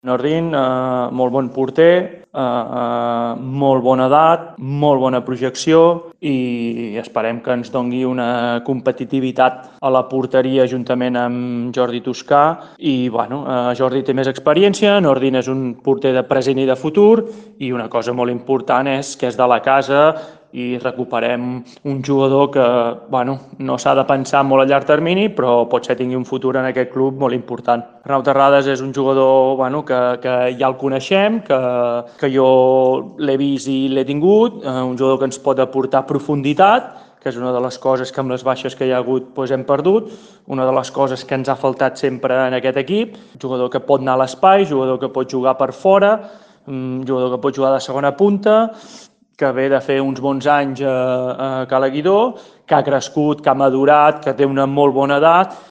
Nordin, molt bon porter, molt bona edat, molt bona projecció i esperem que ens doni una competitivitat a la porteria juntament amb Jordi Toscà i Jordi té més experiència, Nordin és un porter de present i de futur i una cosa molt important és que és de la casa i recuperem un jugador que no s'ha de pensar molt a llarg termini, però potser tingui un futur en aquest club molt important. Arnau Terrades és un jugador que ja el coneixem, que jo l'he vist i l'he tingut, un jugador que ens pot aportar profunditat, que és una de les coses que amb les baixes que hi ha hagut hem perdut, una de les coses que ens ha faltat sempre en aquest equip, jugador que pot anar a l'espai, jugador que pot jugar per fora, jugador que pot jugar de segona punta, que ve de fer uns bons anys a Cala Guidó, que ha crescut, que ha madurat, que té una molt bona edat